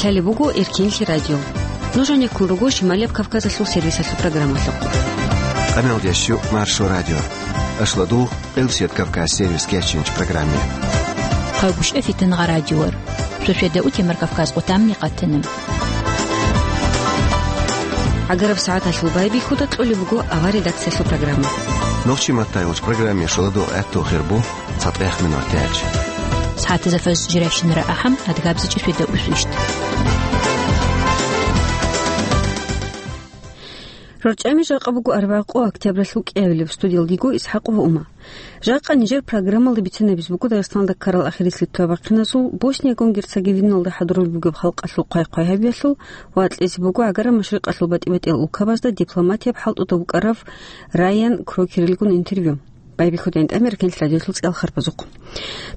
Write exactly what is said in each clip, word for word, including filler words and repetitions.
Лъалеб буго Эркенлъи радио. Нуж гьанеккун руго Шималияб Кавказалъул сервисалъул программалъухъ. Къамелдящу Маршо радио. Ашладул Къилсият Кавказ сервис кечинч программе. Хъагушев Фитнагъа радиор. Шошеда утемар Кавказ къутамни къатана. ГӀагараб сагӀаталъул байбихьуда кьолеб буго авар редакциялъул программа. Нохчи маттайулч программе шоладул гӀаттул хирбу. ЦатӀех минутач. СагӀатазда фаз жирайщинара ахӀам, адгабзичӀи шведа усвищ. РорчӀами жакъа буго арбагъ къо октябралъул кӀиабилеб, студиялдиго ИсхӀакъова Ума. Жакъа нижер программалда бицинабиз буго Дагъистаналда ккарал ахирисел туабахъиназул, Боснияго Герцеговиналда хӀадурулеб бугеб халкъалъул хъвай-хъвай гьабиялъул ва кьезе буго ГӀагараб Машрикъалъул батӀи-батӀиял улкабазда дипломатияб хӀалтӀуда букӀарав Райан Крокерилгун интервью. Байбихьуда гьанже Эркенлъи радиолъул цӀалхарбазухъ.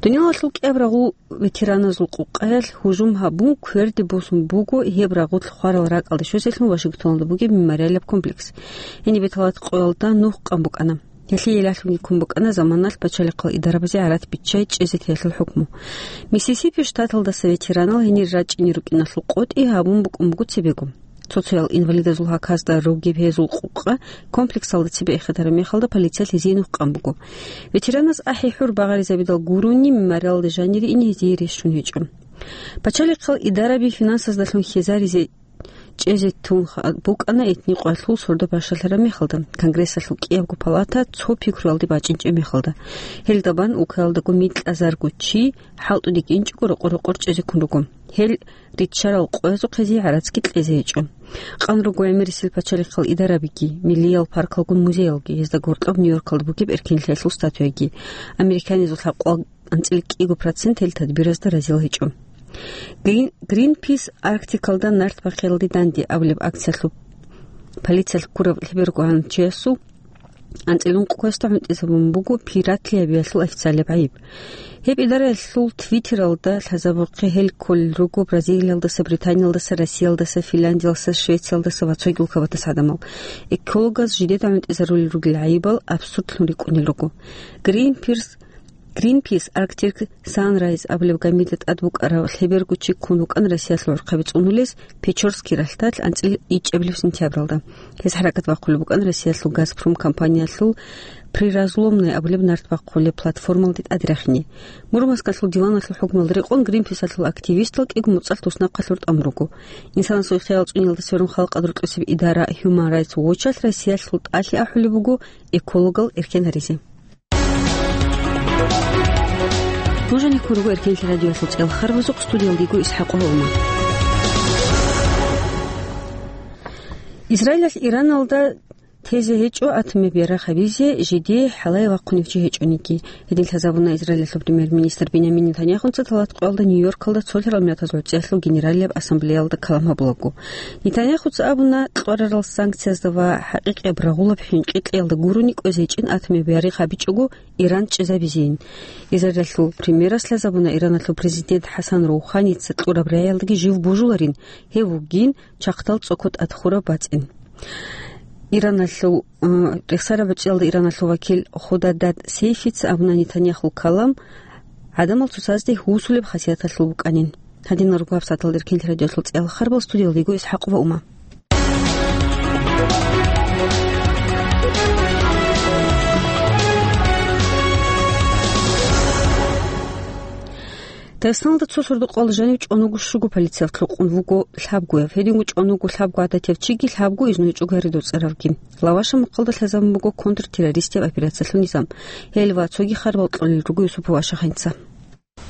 Дуниялалъул кӀиаб рагъул ветераназул къукъаялъ гьужум гьабун, кверде босун буго гьеб рагъулъ хварал ракӀалде щвезелъун Вашингтоналда бугеб мемориалаб комплекс. Гьениб беталат къоялда нух къан букӀана. Гьелъие лъалъунги ккун букӀана заманалъ пачалихъал идарабазе гӀарац биччай чӀезе теялъул хӀукму. Миссисипи штаталдаса ветеранал гьенир рачӀине рукӀиналъул къотӀи гьабун букӀун буго цебего. Цо-цоял инвалидазул гьаказда ругеб гьезул къукъа комплексалда цебе эхетараб мехалда полициялъ гьезие нух къан буго. Ветераназ ахӀи-хӀур багъаризабидал гурони, мемориалалде жанире ине гьезие рещун гьечӀо. Пачалихъал идараби финансаздалъун хьезаризе чӀезе тун ха-, букӀана этни къоялъул сордо бащалъараб мехалда, Конгрессалъул кӀиябго палата цо пикруялде бачӀинчӀеб мехалда. Гьелда бан улкаялдаго микьазарго чи хӀалтӀуде кӀинчӀого рокъор-рокъор чӀезе ккун руго. Гьел риччарал къоязухъ гьезие гӀарацги кьезе гьечӀо. Къан руго гӀемерисел пачалихъал идарабиги, миллиял паркалгун музеялги, гьезда гьоркьоб Нью-Йоркалда бугеб Эркенлъиялъул статуяги. Американизул лъабкъоялъул анцӀила кӀиго процент гьел тадбиразда разил гьечӀо. Грин-, Гринпис Арктикалда нарт бахъиялде данде абулеб акциялъул полициялъ ккурав лъеберго гьанчиясул анцӀила ункъго квесда гӀунтӀизабун буго пиратли гьабиялъул официалияб гӀайиб. Гьеб идараялъул Твиттералда лъазабухъе гьел кколел руго Бразилиялдаса, Британиялдаса, Россиялдаса, Финляндиялдаса, Швециялдаса ва цоги улкабатас гӀадамал. Экологаз жидеда гӀунтӀизарулел ругел гӀайибал абсурдлъун рикӀкӀунел руго. Гринпис, Гринпис Арктик Санрайз абулеб гамида тӀад букӀарав лъеберго чи ккун вукӀан Россиялъул гӀурхъаби цӀунулес Печорский ралъдалъ анцӀила ичӀабилеб сентябралда. Гьез хӀаракат бахъулеб букӀан Россиялъул Газпром компаниялъул Приразломная абулеб нарт бахъулеб платформалде тӀаде рахине. Мурманскалъул диваналъул хӀукмуялда рекъон Гринписалъул активистал кӀиго моцӀалъ туснахъалъур тӀамун руго. Инсанасул хӀукъуялда цӀуниялда сверун халкъалда рукӀине цебе идара Human Rights Watch-алъ Россиялъул тӀалъи ахӀулеб буго экологал эркен гьаризе. Нуж гьанеккун руго Эркенлъи радиоялъул цӀалхарбазухъ, студиялдиго ИсхӀакъова Ума. Израилалъ Ираналда тезе гьечӀо атомаб ярагъ гьабизе жидее хӀалае вахъунев чи гьечӀониги. Гьедин лъазабуна Израилалъул премьер-министр Бинямин Нетаньяхуца тӀалат къоялда Нью-Йоркалда цолъарал миллатазул гӀурцӀиялъул генералияб ассамблеялда калам гьабулаго. Нетаньяхуца абуна, кьварарал санкциязда ва хӀакъикъияб рагъулаб хӀинкъи кьеялда гурони кӀвезе гьечӀин атомаб ярагъ гьабичӀого Иран чӀезабизейин. Израилалъул премьерас лъазабуна Ираналъул президент ХӀасан Роуханица кьураб рагӀиялдаги жив божуларин, гьев вугин чахъдал цӀоко тӀад хураб бацӀцӀин. Ираналъул, э, рехсараб гӀурцӀиялда Ираналъул вакил Худадад Сейфица абуна Нетаньяхул калам гӀадамал цоцазде гьусулеб хасияталъул букӀанин. Гьадинал руго гьабсагӀаталда Эркенлъи радиоялъул цӀалхарбал, студиялдиго ИсхӀакъова Ума. Дагъистаналда цо сордо-къоялда жанив чӀвануго щуго полициялъ рукъун вуго лъабгояв. Гьединго чӀвануго лъабго гӀадатияв чиги лъабго изну гьечӀого гьари доцӀаравги. Лаваша мухъалда лъазабун буго контртеррористияб операциялъул низам. Гьел ва цоги харбал кьолел руго Юсупов Ашаханца.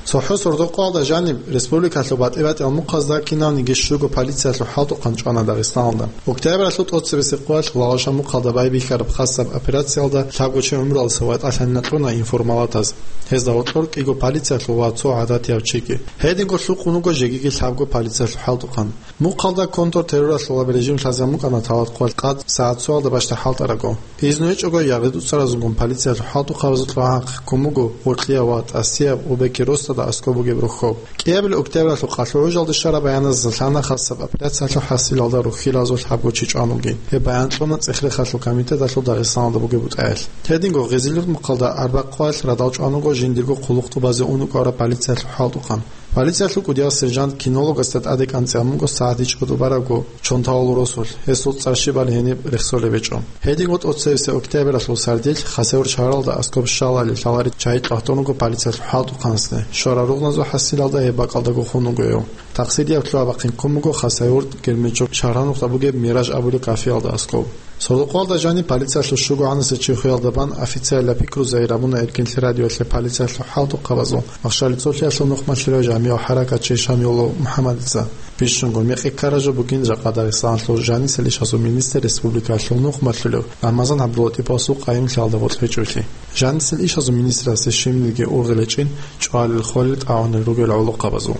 ЦохӀо сордо-къоялда жаниб республикалъул батӀи-батӀиял мухъазда кинавниги щуго полициялъул хӀалтӀухъан чӀвана Дагъистаналда. Октябралъул тӀоцебесеб къоялъ Лаваша мухъалда байбихьараб хасаб операциялда лъабго чи гӀумруялдаса ватӀалъанин кьуна информалатаз. Гьезда гьоркьор кӀиго полициялъул ва цо гӀадатияв чиги. Гьединго лъукъун вуго жегиги лъабго полициялъул хӀалтӀухъан. Мухъалда контртерроралъулаб режим лъазабун букӀана тӀалат къоялъ къад сагӀат цоялда бащдаб хӀалтӀарабго. Изну гьечӀого яргъи дуцаразулгун полициялъул хӀалтӀухъабазул тӀогӀан ахъ ккун буго гьоркьияб ва тӀасияб Убеки Ростада аскӀоб бугеб рохьоб. КӀиабилеб октябралъул къалъу гӀужалде щвараб баяназда лъана хасаб операциялъул хӀасилалда рухьилазул лъабго чи чӀвануги. Гьеб баян кьуна ЦӀехрехалъул комитеталъул Дагъистаналда бугеб бутӀаялъ. Гьединго Гъизилурт мухъалда арбакъ къоялъ радал чӀвануго жиндирго хъулухъ тӀубазе ун рукӀараб полициялъул хӀалтӀухъан. Полициялъул кӀудияв сержант кинологасда тӀаде кӀанцӀи гьабун буго сагӀат ичӀго тӀубарабго чонталал росулъ, гьесул цӀар щибали гьениб рехсолеб гьечӀо. Гьединго тӀоцевесеб октябралъул сардилъ Хасавюрт шагьаралда аскӀоб щалали лъалареб чагӀи кьватун руго полициялъул хӀалтӀухъанасде. Щвараб ругъназул хӀасилалда гьеб бакӀалдаго хун вуго гьев. Такъсирияб лъугьа-бахъин ккун буго Хасавюрт Герменчук шагьаралда бугеб Мираж абулеб кафеялда аскӀоб. Сордо-къоялда жаниб полициялъул щугогӀанасеб чи хвеялда бан официалаб пикру загьир гьабуна Эркенлъи радиоялъе полициялъул хӀалтӀухъабазул Махщалица цолъиялъул нухмалъулев жамигӀ-хӀаракатчи Шамилов МухӀаммадица. Бищунго мекъи ккараб жо бугин жакъа Дагъистаналъул жанисел ишазул министр республикалъул нухмалъулев Рамазан ГӀабдуллатӀиповасул къайимлъиялда бокьичӀолъи. Жанисел ишазул министрасде щибниги ургъел гьечӀин чӀвалел-хвалел тӀагӀунел ругел гӀолохъабазул.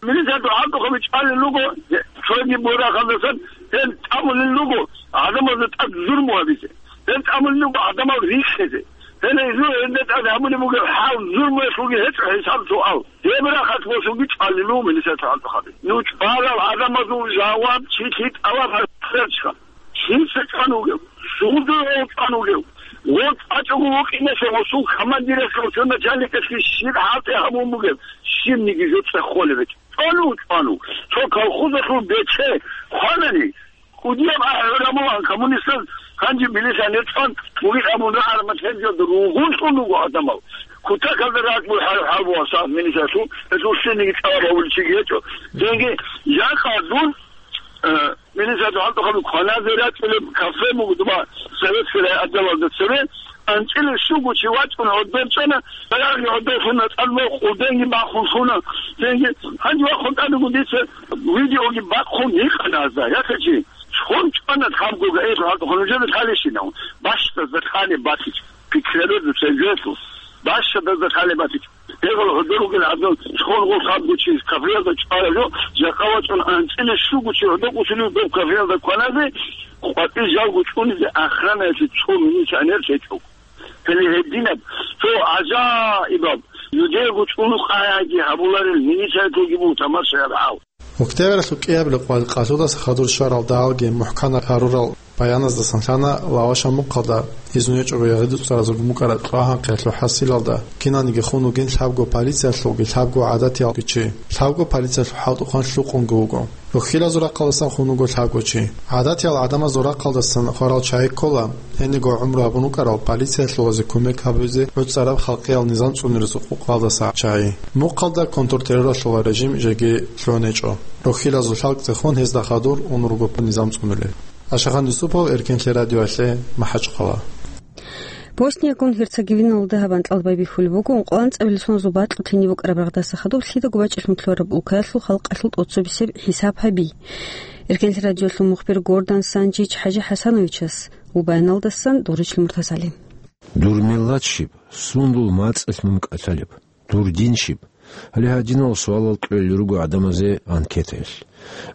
Милицаялъул хӀалтӀухъаби чӀвалел руго, цоги бурахъалдасан гьел тӀамулел руго гӀадамазда тӀад зурму гьабизе. Гьел тӀамулел руго гӀадамал риххизе. Гьел гьезул гьелда тӀад гьабулеб бугеб хӀал зурмуялъулги гьечӀо хӀисаб-суал. Гьеб рахъалъ босунги чӀвалел руго милицаялъул хӀалтӀухъаби. Ну чӀвалал гӀадамазул жаваб чи лъи тӀалаб гьаричха. Лъица чӀван вугев? Суду гьев чӀван вугев? Гъов чӀвачӀого вукӀиналъе гъосул командирасда, гъосул начальникасги щиб хӀалтӀи гьабун бугеб, щибниги жо цӀехолеб гьечӀо. ЧӀван вуго, чӀван вуго. Цо колхозалъул бече хванани, кӀудияб ахӀи гӀурамулан коммунистаз гьанже милиционер чӀван вугин абун рагӀараб мехалъ гьезда ругьунлъун руго гӀадамал. Кутакалда ракӀ бугеб хӀал, хӀал бугеб сагӀат милициялъул, гьезул лъиниги тӀалаб гьабулев чиги гьечӀо. Цинги жакъа дун, э, милициялъул хӀалтӀухъаби кваназе рачӀунеб кафе буго доба советский райотделалда цеве, анцӀила щуго чи вачӀун гӀодор чӀана, баягъги гӀодорлъуна, тӀад къуденги бахун лъуна. Цинги гьанже вахун тӀадего дица видеоги бахъун гьикъана гьазда, яхъичи, чхун чӀана лъабго гаилъул хӀалтӀухъан нужеда лъалищинав? Бащдазда лъалеб батичӀ, пикререзда цевеялъул, бащдазда лъалеб батичӀ. Гьебал гьодор ругел гӀадин, чхун гъол лъабго чи кафеялда чӀвараб жо, жакъа вачӀун анцӀила щуго чи гӀодокӀусулев доб кафеялда кваназе, къватӀир жалго чӀунизе охранаялъе цо милиционер гьечӀо. Гьеле гьединаб цо гӀажаибаб, жидеего чӀулухъ гӀайгӀайги гьабуларел милициялъулги буго тамашаяб гьал. Октябралъул кӀиабилеб къоялъ къалъудаса хадур щварал дагьалги мухӀканаб гьарурал баяназдасан лъана Лавашаб мухъалда изну гьечӀого ягъидуцаразул букӀараб кьвагьанхъиялъул хӀасилалда киналниги хун вугин лъабго полициялъулги лъабго гӀадатиялги чи. Лъабго полициялъул хӀалтӀухъан лъукъунги вуго. Рохьилазул рахъалдасан хун вуго лъабго чи. ГӀадатиял гӀадамазул рахъалдасан хварал чагӀи ккола, гьениго гӀумру гьабун вукӀарал полициялъулазе кумек гьабизе гӀуцӀараб халкъиял низам цӀунерезул къукъалдаса чагӀи. Мухъалда контртерроралъула режим жеги лъугьун гьечӀо. Рохьилазул лъалкӀцӀехун гьезда хадур ун руго низам цӀунулел. Ашахан Юсупов, Эркенлъи радиоялъе, МахӀачхъала. Босниягун Герцеговиналда гьаб анкьал байбихьулеб буго ункъоялда анцӀабилеб соназул бакьулъ гьениб букӀараб рагъдаса хадуб лъидаго бачӀалъун кколареб улкаялъул халкъалъул тӀоцебесеб хӀисаб гьаби. Эркенлъи радиоялъул мухбир Гордан Санжич ХӀажи ХӀасановичас ва баяналдасан Доричил Муртазали. Дур миллат щиб, сундул мацӀалъ мун кӀалъалеб? Дур дин щиб? Гьале гьадинал суалал кьолел руго гӀадамазе анкетаялъ.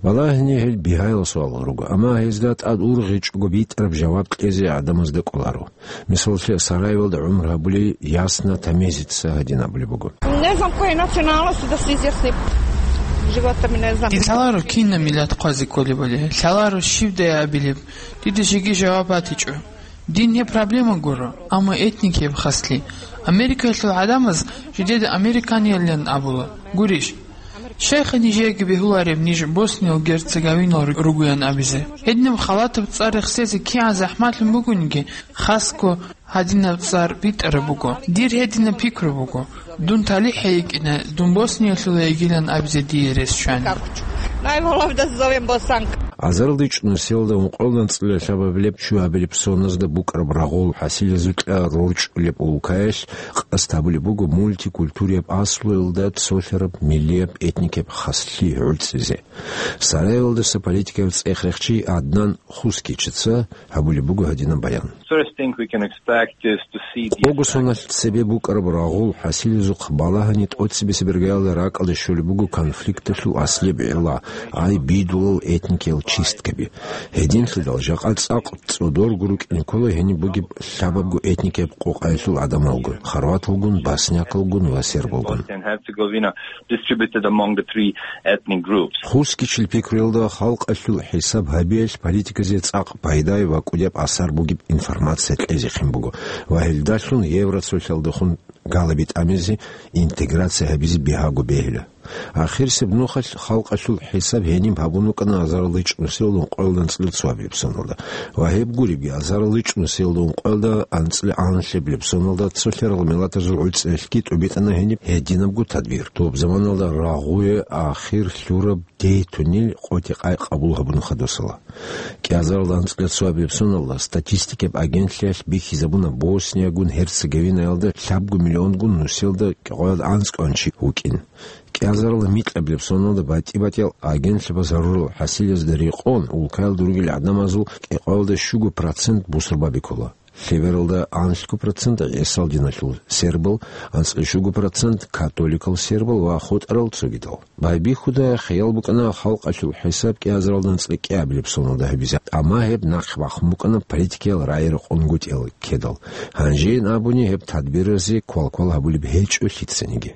Балагьани гьел бигьаял суалал руго, амма гьезда тӀад ургъичӀого битӀараб жаваб кьезе гӀадамазда кӀоларо. Мисаллъе, Сараевалда гӀумру гьабулей Ясна Тамезица гьадин абулеб буго. Не знам коя е националност, да се изясним. Живота ми не знам. Лъаларо кинаб миллат хъвазе кколебали, лъаларо щибдай абилеб, дида жеги жаваб батичӀо. Дин гьеб проблема гуро, амма этник гьеб хаслъи. Америкаялъул гӀадамаз жидеда американиялилан абула. Гурищ? Щайха нижееги бегьулареб ниж Босния-Герцеговинал ругоян абизе? Гьединаб халатаб цӀар рехсезе кигӀан захӀмалъун бугониги, хасго гьадинаб цӀар битӀараб буго. Дир гьединаб пикру буго. Дун талихӀ гьайикӀина, дун Босниялъула йигилан абизе дие рес щвани. Najbolje da zovem Bosanka. Азарилда ичӀнусиялда ункъоялда анцӀила лъабабилеб чуабилеб соназда букӀараб рагъул хӀасилазукьа рорчӀулеб улкаялъ къасд гьабулеб буго мультикультурияб аслуялда цолъараб миллияб этникияб хаслъи гӀуцӀизе. Сараевалдаса политикаяб цӀех рехчи Аднан Хускичица гьабулеб буго гьадинаб баян. First thing we can expect is to see the Къого соналъ цебе букӀараб рагъул хӀасилазухъ балагьани тӀоцебесеб иргаялда ракӀалде щолеб буго конфликталъул аслияб гӀилла, ай бидулал этникиял чисткаби. Гьединлъидал жакъа цӀакъ цӀодорго рукӀине ккола гьениб бугеб лъабабго этникияб къокъаялъул гӀадамалгун, хорваталгун, боснякалгун ва сербалгун. Bosnia and Herzegovina distributed among the three ethnic groups. Хускичил пикруялда халкъалъул хӀисаб гьабиялъ политиказе цӀакъ пайдай ва кӀудияб асар бугеб информация кьезехъин буго ва гьелдалъун Евроцолъалдехун галаби тӀамизе, интеграция гьабизе бигьаго бегьила. Ахирисеб нухалъ халкъалъул хӀисаб гьениб гьабун вукӀана азарилда чӀунусиялда ункъоялда анцӀила цоабилеб соналда. Ва гьеб гуребги, азарилда чӀунусиялда ункъоялда анцӀила гӀанлъабилеб соналда цолъарал миллатазул гӀуцӀиялъги тӀубитӀана гьениб гьединабго тадбир. Доб заманалда рагъуе ахир лъураб дейтунил къотӀи-къай къабул гьабуна хадусала. КӀиазаралда анцӀила цоабилеб соналда статистикаб агентлъиялъ бихьизабуна Босниягун Герцеговинаялда лъабго миллионгун нусиялда кӀикъоялда анцӀкӀван чи вукӀин. КӀиазаралда микьабилеб соналда батӀи-батӀиял агентлъабаз гьарурал хӀасилазда рекъон, улкаялда ругел гӀадамазул кӀикъоялда щуго процент бусурбаби ккола. Лъебералда анлъго процент гӀисал диналъул сербал, анцӀила щуго процент католикал сербал ва хутӀарал цогидал. Байбихьуда хиял букӀана халкъалъул хӀисаб кӀиазаралда анцӀила кӀиабилеб соналда гьабизе, амма гьеб нахъе бахун букӀана политикиял рагӀи-рекъон гутӀиялда ккедал. Гьанжейин абуни, гьеб тадбиразе квалквал гьабулеб гьечӀо лъицаниги.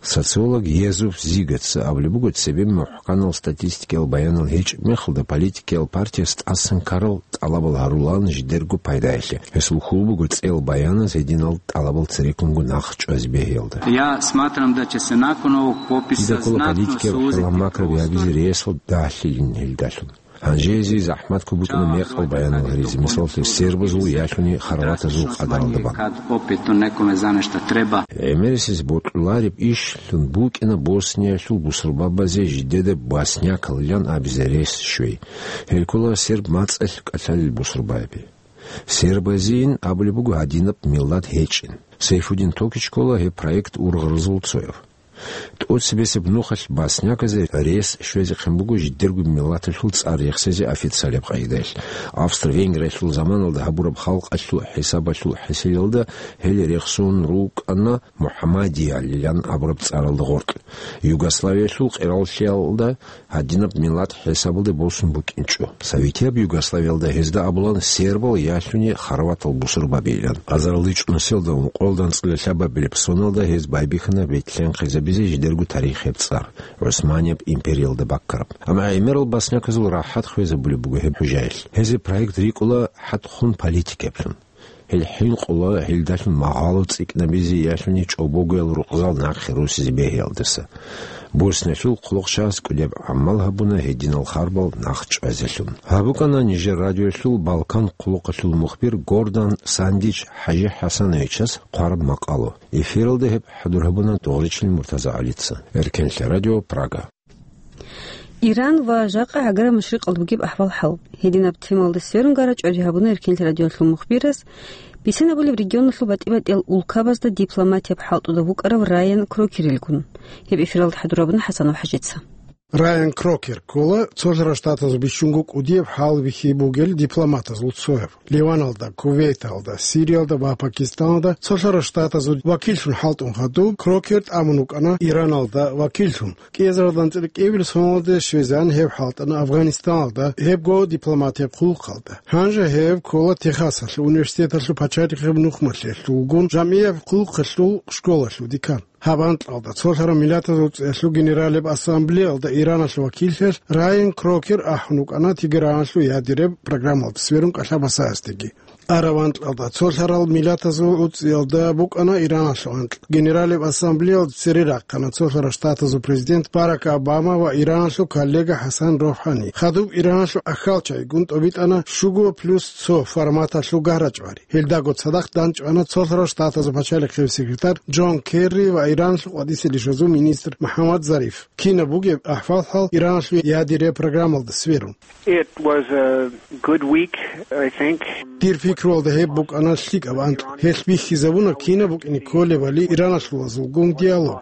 Социолог Езуф Зигаца абулеб буго, цебе мухӀканал статистикиял баянал гьечӀеб мехалда политикиял партияс тӀасан ккарал тӀалабал гьарулаан жидерго пайдаялъе. Гьесул хьул буго цӀел баяназ гьединал тӀалабал цереккунго нахъ чӀвазе бегьиялда. Я сматрам да че се након овог пописа... Дида ккола знатно политикиял сузити хӀалхьал макраби гьабизе рейсал дагьлъилин гьелдалъун. Гьанже гьезие захӀмат ккун букӀана мекъал баянал гьаризе, мисаллъи, сербазул ялъуни хорватазул къадаралда бан. Кад опет у некоме за нешто треба. ГӀемерисез бокьулареб ишлъун букӀана Босниялъул бусурбабазе жидеда боснякал ян абизе рес щвей. Гьел ккола серб мацӀалъ кӀалъалел бусурбаби. Сербазейин абулеб буго гьадинаб миллат гьечӀин. Сайфудин Токич ккола гьеб проект ургъарзул цояв. ТӀоцебесеб нухалъ босняказе рес щвезехъин буго жидерго миллаталъул цӀар рехсезе официалаб къагӀидаялъ. Австро-Венгриялъул заманалда гьабураб халкъалъул хӀисабалъул хӀисиялда гьел рехсон рукӀана Мухаммадиялилан абураб цӀаралда гъоркь. Югославиялъул къераллъиялда гьадинаб миллат хӀисабалде босун букӀинчӀо. Советияб Югославиялда гьезда абулан сербал ялъуни хорватал бусурбабилан. Азарилда чӀунусиялда ункъоялда анцӀила лъабабилеб соналда гьез байбихьана ветлъанхъизабизе жидерго тарихияб цӀар, ГӀусманияб империялда баккараб. Амма гӀемерал босняказул рахӀат хвезабулеб буго гьеб хӀужаялъ. Гьезие проект рикӀкӀула хӀатхун политикаблъун. Гьел хӀинкъула гьелдалъун магъало цӀикӀкӀинабизе ялъуни чӀобогоял рукъзал нахъе росизе бегьиялдаса. Босниялъул хъулухъчагьаз кӀудияб гӀамал гьабуна гьединал харбал нахъ чӀвазелъун. Гьаб букӀана нижер радиоялъул Балкан хъулухъалъул мухбир Гордан Сандич ХӀажи ХӀасановичас хъвараб макъало. Эфиралда гьеб хӀадур гьабуна Догъричилин МуртазагӀалица. Эркенлъи радио, Прага. Иран ва жакъа гӀагараб машрикъалда бугеб ахӀвал-хӀал. Гьединаб темалда сверун гара чӀвари гьабуна Эркенлъи радиоялъул мухбирас, бицинабулеб регионалъул батӀи-батӀиял улкабазда дипломатияб хӀалтӀуда вукӀарав Райан Крокерилгун. Гьеб эфиралда хӀадур гьабуна ХӀасанов ХӀажица. Райан Крокер ккола Цолъарал Штатазул бищунго кӀудияб хӀалбихьи бугел дипломатазул цояв. Ливаналда, Кувейталда, Сириялда ва Пакистаналда Цолъарал Штатазул вакиллъун хӀалтӀун хадуб, Крокер тӀамун вукӀана Ираналда вакиллъун. КӀиазаралда анцӀила кӀиабилеб соналда щвезегӀан гьев хӀалтӀана Афганистаналда гьебго дипломатияб хъулухъалда. Гьанже гьев ккола Техасалъул университеталъул пачалихъияб нухмалъиялъулгун жамгӀияб хъулухъалъул школалъул декан. Гьаб анкьалда Цолъарал Миллатазул ГӀуцӀиялъул Генералияб Ассамблеялда Ираналъул вакиллъиялъ Райан Крокер ахӀун вукӀана Тегераналъул ядераб программалда сверун кӀалъа-басаздеги. Араб анкьалда Цолъарал Миллатазул ГӀуцӀиялда букӀана Ираналъул анкь. Генералияб Ассамблеялда цере рахъана Цолъарал Штатазул президент Барак Обама ва Ираналъул коллега ХӀасан РухӀани. Хадуб Ираналъул ахьалчагӀигун тӀобитӀана щуго плюс цо форматалъул гара-чӀвари. Гьелдаго цадахъ дандчӀвана Цолъарал Штатазул пачалихъияб секретарь Джон Керри ва Ираналъул къватӀисел ишазул министр МухӀаммад Зариф. Кинаб бугеб ахӀвал-хӀал Ираналъул ядераб программалда сверун? It was a good week, I think. Дир пикруялда гьеб букӀана лъикӀаб анкь. Гьелъ бихьизабуна кинаб букӀине кколебали Ираналъулазулгун диалог.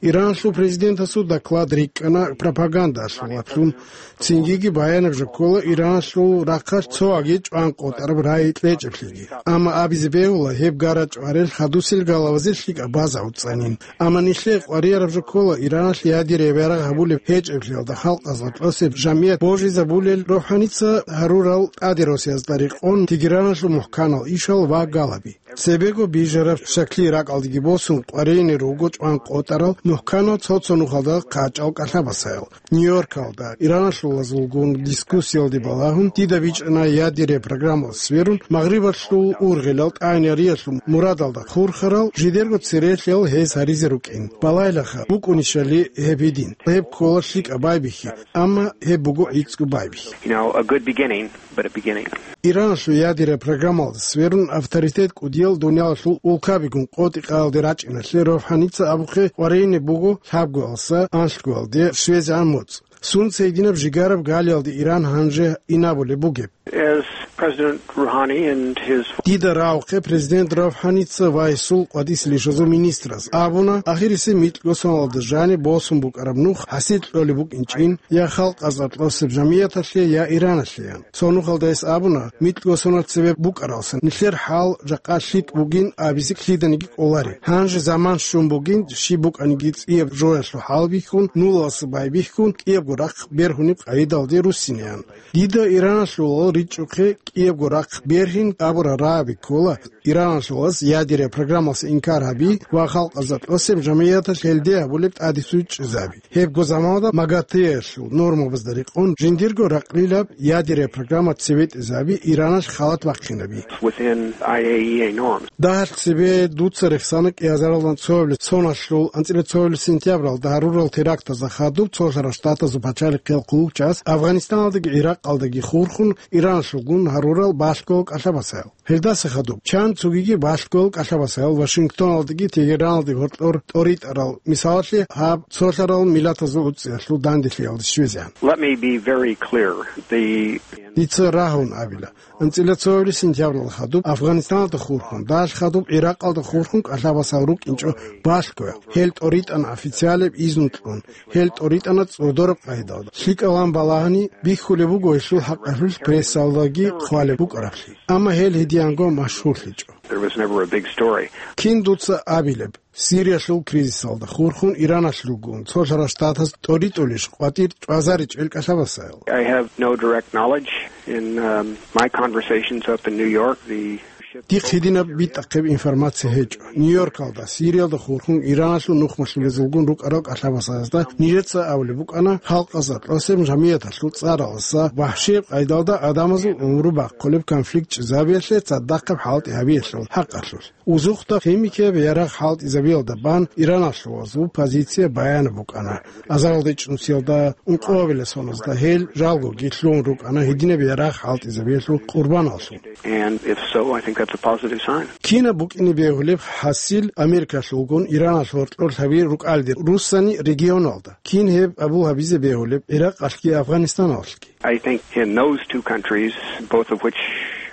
Ираналъул президентасул доклад рикӀкӀана пропагандалъулаблъун. Цингиги баянаб жо ккола Ираналъул рахъалъ цоги чӀван къотӀараб рагӀи кьечӀеблъиги. Амма абизе бегьула, гьеб гара-чӀварел хадусел галавазе лъикӀаб база гӀуцӀанин. Амма нилъее къварияраб жо ккола Ираналъ ядераб ярагъ гьабулеб гьечӀеблъиялда халкъазда тӀасеб жамгӀият божизабулел РухӀаница гьарурал тӀаде росиязда рекъон Тегераналъул мухӀканал ишал ва галаби. Цебего бижараб шаклъи ракӀалдеги босун къваригӀунел руго чӀван къотӀарал Мухканал цо-цо нухалда хъачӀал кӀалъабасаял. Нью-Йоркалда Ираналъулазулгун дискуссиялде балагьун, дида бичӀчӀана ядерия программалъ сверун, Магърибалъул ургъелал тӀагӀинариялъул мурадалда хурхарал жидерго церелъиял гьез гьаризе рукӀин. Балайлаха, букӀунищали гьеб гьедин. Гьеб ккола лъикӀаб байбихьи, амма гьеб буго гӀицӀго байбихьи. You know, a good beginning, but a beginning. Иранлъул ядерия программалда сверун авторитет кӀудиял дуниялалъул улкабигун къотӀи-къаялде рачӀиналъе РовхӀаница абухъе къваригӀине буго лъабгоялдаса анлъгоялде щвезегӀан моцӀ. Сунца гьединаб жигараб галиялде Иран гьанже инабулеб бугеб? As President Rouhani and his Дида рагъухъе президент РовхӀаница ва гьесул къватӀисел ишазул министраз абуна, ахирисе микьго соналда жаниб босун букӀараб нух хӀасил кьолеб букӀинчӀин, я халкъ азар тӀасеб жамияталъе, я Ираналъеян. Цо нухалда гьес абуна, микьго сонал цебе букӀаралсан, нилъер хӀал жакъа лъикӀ бугин абизе лъиданиги кӀолари. Гьанже заман щун бугин, щиб букӀаниги цӀияб жоялъул хӀалбихьун, нулалъа байбихьун, кӀиябго рахъ бергьунеб къагӀидалде руссинеян. Дида Ираналъулал ричӀухъе кӀиябго рахъ бергьин абурал рагӀаби ккола, Ираналъулас ядерия программалъе инкар гьаби ва халкъ азар тӀасеб жамияталъ гьелде гьабулеб тӀадесучӀизаби. Гьебго заманалда МАГАТЭялъул нормабазда рекъон жиндирго ракълилаб ядерия программа цеветӀизаби Ираналъ халат бахъинаби. Within I A E A norms. Дагьалъ цебе дуца рехсана кӀиазаралдан цоабилеб соналъул анцӀила цоабилеб сентябралда гьарурал терактазда хадуб Цолъарал Штатазул пачалихъиял хъулухъчияс Афганистаналдаги ГӀиракъалдаги хурхун Ираналъулгун гьарурал балъгоял кӀалъабасаял. Гьелдаса хадуб чан цогиги балъгоял кӀалъабасаял Вашингтоналдаги Тегераналдаги гьоркьор тӀоритӀарал, мисалалъе, гьаб цолъарал миллатазул уцӀцӀиялъул данделъиялде щвезегӀан. Let me be very clear. The Дица рагьун абила. АнцӀила цоабилеб сентябралда хадуб Афганистаналда хурхун, дагьалъ хадуб ГӀиракъалда хурхун кӀалъабасал рукӀинчӀо балъгоял. Гьел тӀоритӀана официалеб изну кьун. Гьел тӀоритӀана цӀодораб къайдалда. ЛъикӀалан балагьани, бихьулеб буго гьелъул хӀакъалъулъ прессалдаги хъвалеб букӀараблъи. Амма гьел гьедиянго машгьурлъичӀо. There was never a big story. Кин дуца абилеб, Сириялъул кризисалда хурхун Ираналъулгун Цолъарал Штатаз тӀоритӀулищ къватӀир чӀвазаричӀел кӀалъабасаял? I have no direct knowledge. In, um, my conversations up in New York, the Дихъ гьединаб битӀахъеб информация гьечӀо. Нью-Йоркалда, Сириялда хурхун Ираналъул нухмалъулезулгун рукӀарал кӀалъабасазда нижеца абулеб букӀана, халкъазда тӀасеб жамияталъул цӀаралдаса вагьшияб къайдалда гӀадамазул гӀумру бахъулеб конфликт чӀезабиялъе цадахъаб хӀалтӀи гьабиялъул хӀакъалъулъ. Узухъда химикияб ярагъ хӀалтӀизабиялда бан Ираналъулазул позиция баянаб букӀана. Азаралда ичӀнусиялда, ункъоабилеб соназда гьел жалгоги лъугьун рукӀана гьединаб ярагъ хӀалтӀизабиялъул къурбаналъул. And if so, I think that's a positive sign. Кинаб букӀине бегьулеб хӀасил Америкалъулгун Ираналъул гьоркьор лъаби рукӀалде руссани регионалда? Кин гьеб абул гьабизе бегьулеб ГӀиракъалъги Афганистаналъги? I think in those two countries, both of which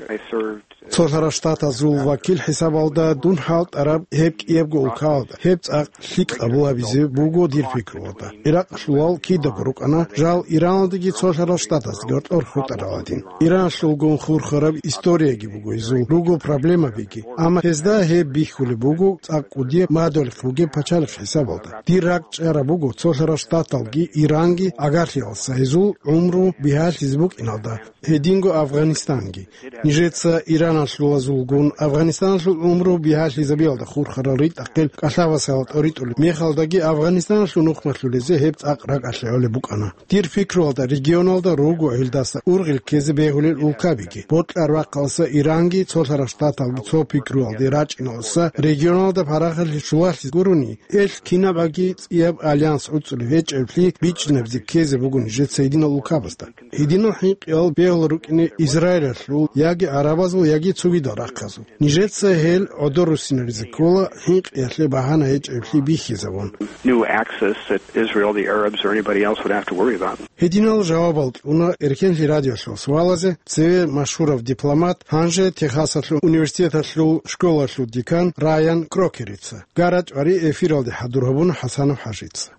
I served Цолъарал Штатазул вакил хӀисабалда дун хӀалтӀараб гьеб кӀиябго улкаялда, гьеб цӀакъ лъикӀ къабул гьабизе буго дир пикруялда. ГӀиракъалъулал кидаго рукӀана жал Ираналдаги Цолъарал Штатаздаги гьоркьор хутӀарал гьадин. Ираналъулгун хурхараб историяги буго гьезул, руго проблемабиги. Амма гьезда гьеб бихьулеб буго цӀакъ кӀудияб мадугьалихъ бугеб пачалихъ хӀисабалда. Дир ракӀ чӀараб буго Цолъарал Штаталги Иранги агарлъиялдаса гьезул гӀумру бигьалъизе букӀиналда, гьединго Афганистанги. Нижеца Ираналъулазулгун Афганистаналъул гӀумру бигьалъизабиялда хурхарал ритӀахъел кӀалъабасал тӀоритӀулеб мехалдаги Афганистаналъул нухмалъулезе гьеб цӀакъ ракӀалъе гӀолеб букӀана. Дир пикруялда, регионалда руго гьелдаса ургъел ккезе бегьулел улкабиги. Бокьараб рахъалдаса Иранги Цолъарал Штаталги цо пикруялде рачӀиналдаса регионалда парахалъи щулалъи гурони, эл кинабаги цӀияб альянс гӀуцӀулеб гьечӀеблъи бичӀчӀинабизе ккезе буго нижеца гьединал улкабазда. Гьединал хӀинкъиял бегьула рукӀине Израилалъул яги гӀарабазул, яги цогидал рахъазул. Нижеца гьел гӀодор руссинаризе ккола, хӀинкъиялъе багьана гьечӀеблъи бихьизабун. New axis that Israel, the Arabs, or anybody else would have to worry about. Гьединал жавабал кьуна Эркенлъи радиолъул суалазе цеве машгьурав дипломат, гьанже Техасалъул университеталъул школалъул декан Райан Крокерица. Гара чӀвари эфиралде хӀадур гьабуна ХӀасанов ХӀажица.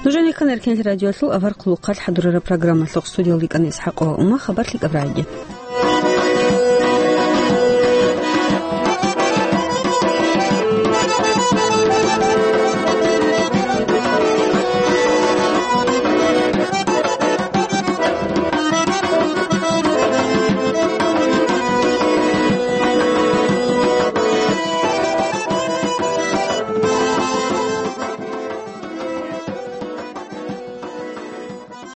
Нуженикан Эркенлъи радиолъул авар хъулухъалъ хӀадурараб программалъухъ студиялда икӀана ИсхӀакъова Ума, хабар лъикӀаб рагӀиги.